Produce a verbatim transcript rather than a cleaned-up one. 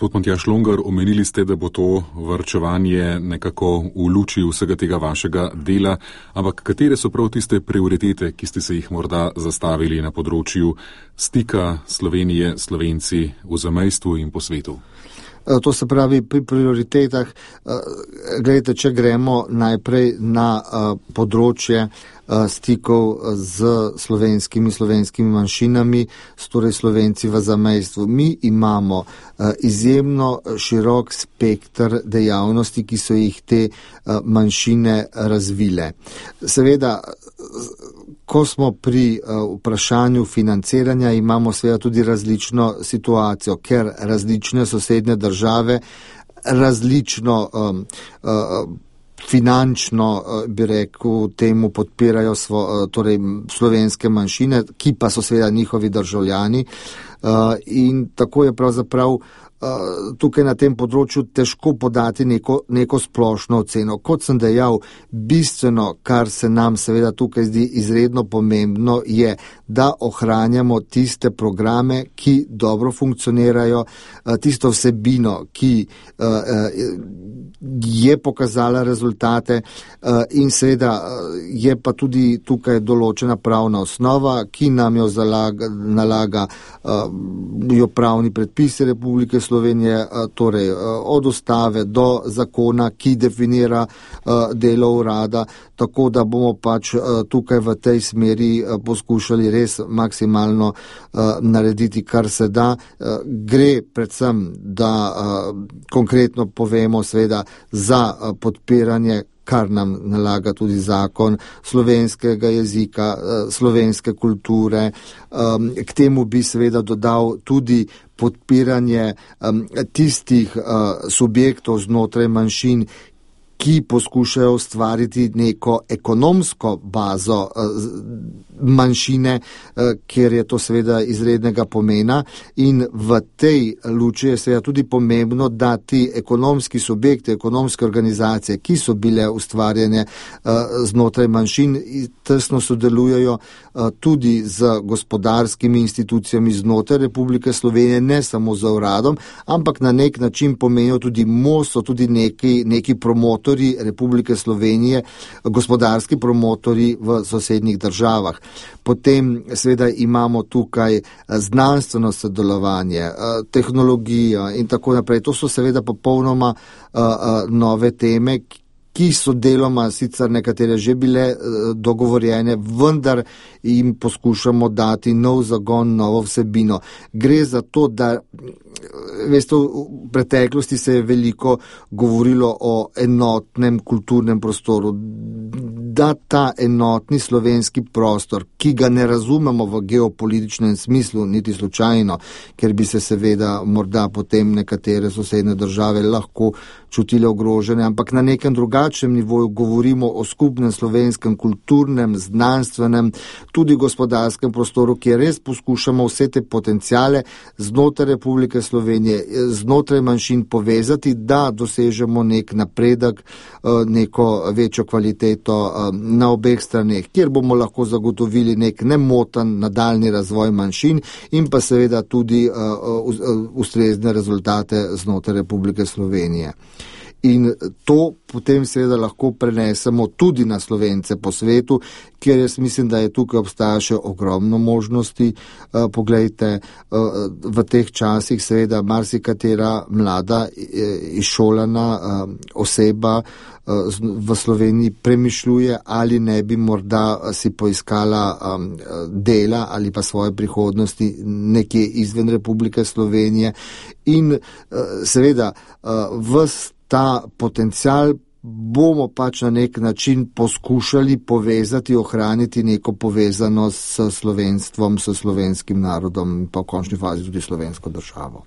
Gospod Matjaž Logar, omenili ste, da bo to varčevanje nekako v luči vsega tega vašega dela, ampak katere so prav tiste prioritete, ki ste se jih morda zastavili na področju stika Slovenije, Slovenci v zamejstvu in po svetu? To se pravi, pri prioritetah, gledajte, če gremo najprej na področje stikov z slovenskimi, slovenskimi manjšinami, torej Slovenci v zamejstvu. Mi imamo izjemno širok spektr dejavnosti, ki so jih te manjšine razvile. Seveda, ko smo pri vprašanju financiranja, imamo seveda tudi različno situacijo, ker različne sosednje države različno um, um, finančno, bi rekel, temu podpirajo svo, torej slovenske manjšine, ki pa so seveda njihovi državljani, in tako je pravzaprav tukaj na tem področju težko podati neko, neko splošno oceno. Kot sem dejal, bistveno, kar se nam seveda tukaj zdi izredno pomembno, je, da ohranjamo tiste programe, ki dobro funkcionirajo, tisto vsebino, ki je pokazala rezultate, in seveda je pa tudi tukaj določena pravna osnova, ki nam jo zalaga, nalaga jo pravni predpisi Republike Slovenije, torej od ustave do zakona, ki definira delo urada, tako da bomo pač tukaj v tej smeri poskušali res maksimalno narediti, kar se da. Gre predvsem, da konkretno povemo seveda za podpiranje, kar nam nalaga tudi zakon, slovenskega jezika, slovenske kulture. K temu bi seveda dodal tudi podpiranje tistih subjektov znotraj manjšin, ki poskušajo ustvariti neko ekonomsko bazo manjšine, ker je to seveda izrednega pomena, in v tej luči je seveda tudi pomembno, da ti ekonomski subjekti, ekonomske organizacije, ki so bile ustvarjene znotraj manjšin, tesno sodelujejo tudi z gospodarskimi institucijami znotraj Republike Slovenije, ne samo z uradom, ampak na nek način pomenijo tudi most, so tudi neki, neki promotori Republike Slovenije, gospodarski promotori v sosednjih državah. Potem seveda imamo tukaj znanstveno sodelovanje, tehnologijo in tako naprej. To so seveda popolnoma nove teme, ki so deloma sicer nekatere že bile dogovorjene, vendar jim poskušamo dati nov zagon, novo vsebino. Gre za to, da veste, v preteklosti se je veliko govorilo o enotnem kulturnem prostoru, da ta enotni slovenski prostor, ki ga ne razumemo v geopolitičnem smislu, niti slučajno, ker bi se seveda morda potem nekatere sosednje države lahko čutile ogrožene, ampak na nekem drugačnem nivoju govorimo o skupnem slovenskem kulturnem, znanstvenem, tudi gospodarskem prostoru, kjer res poskušamo vse te potenciale znotraj Republike Slovenije, znotraj manjšin povezati, da dosežemo nek napredek, neko večjo kvaliteto na obeh straneh, kjer bomo lahko zagotovili nek nemoten nadaljni razvoj manjšin in pa seveda tudi ustrezne rezultate znotraj Republike Slovenije. In to potem seveda lahko prenesemo tudi na Slovence po svetu, kjer jaz mislim, da je tukaj obstaja še ogromno možnosti. Uh, poglejte, uh, v teh časih seveda marsikatera mlada, izšolana uh, oseba uh, v Sloveniji premišljuje, ali ne bi morda si poiskala um, dela ali pa svoje prihodnosti nekje izven Republike Slovenije. In uh, seveda uh, vs ta potencial bomo pač na nek način poskušali povezati, ohraniti neko povezanost s slovenstvom, s slovenskim narodom in pa v končni fazi tudi slovensko državo.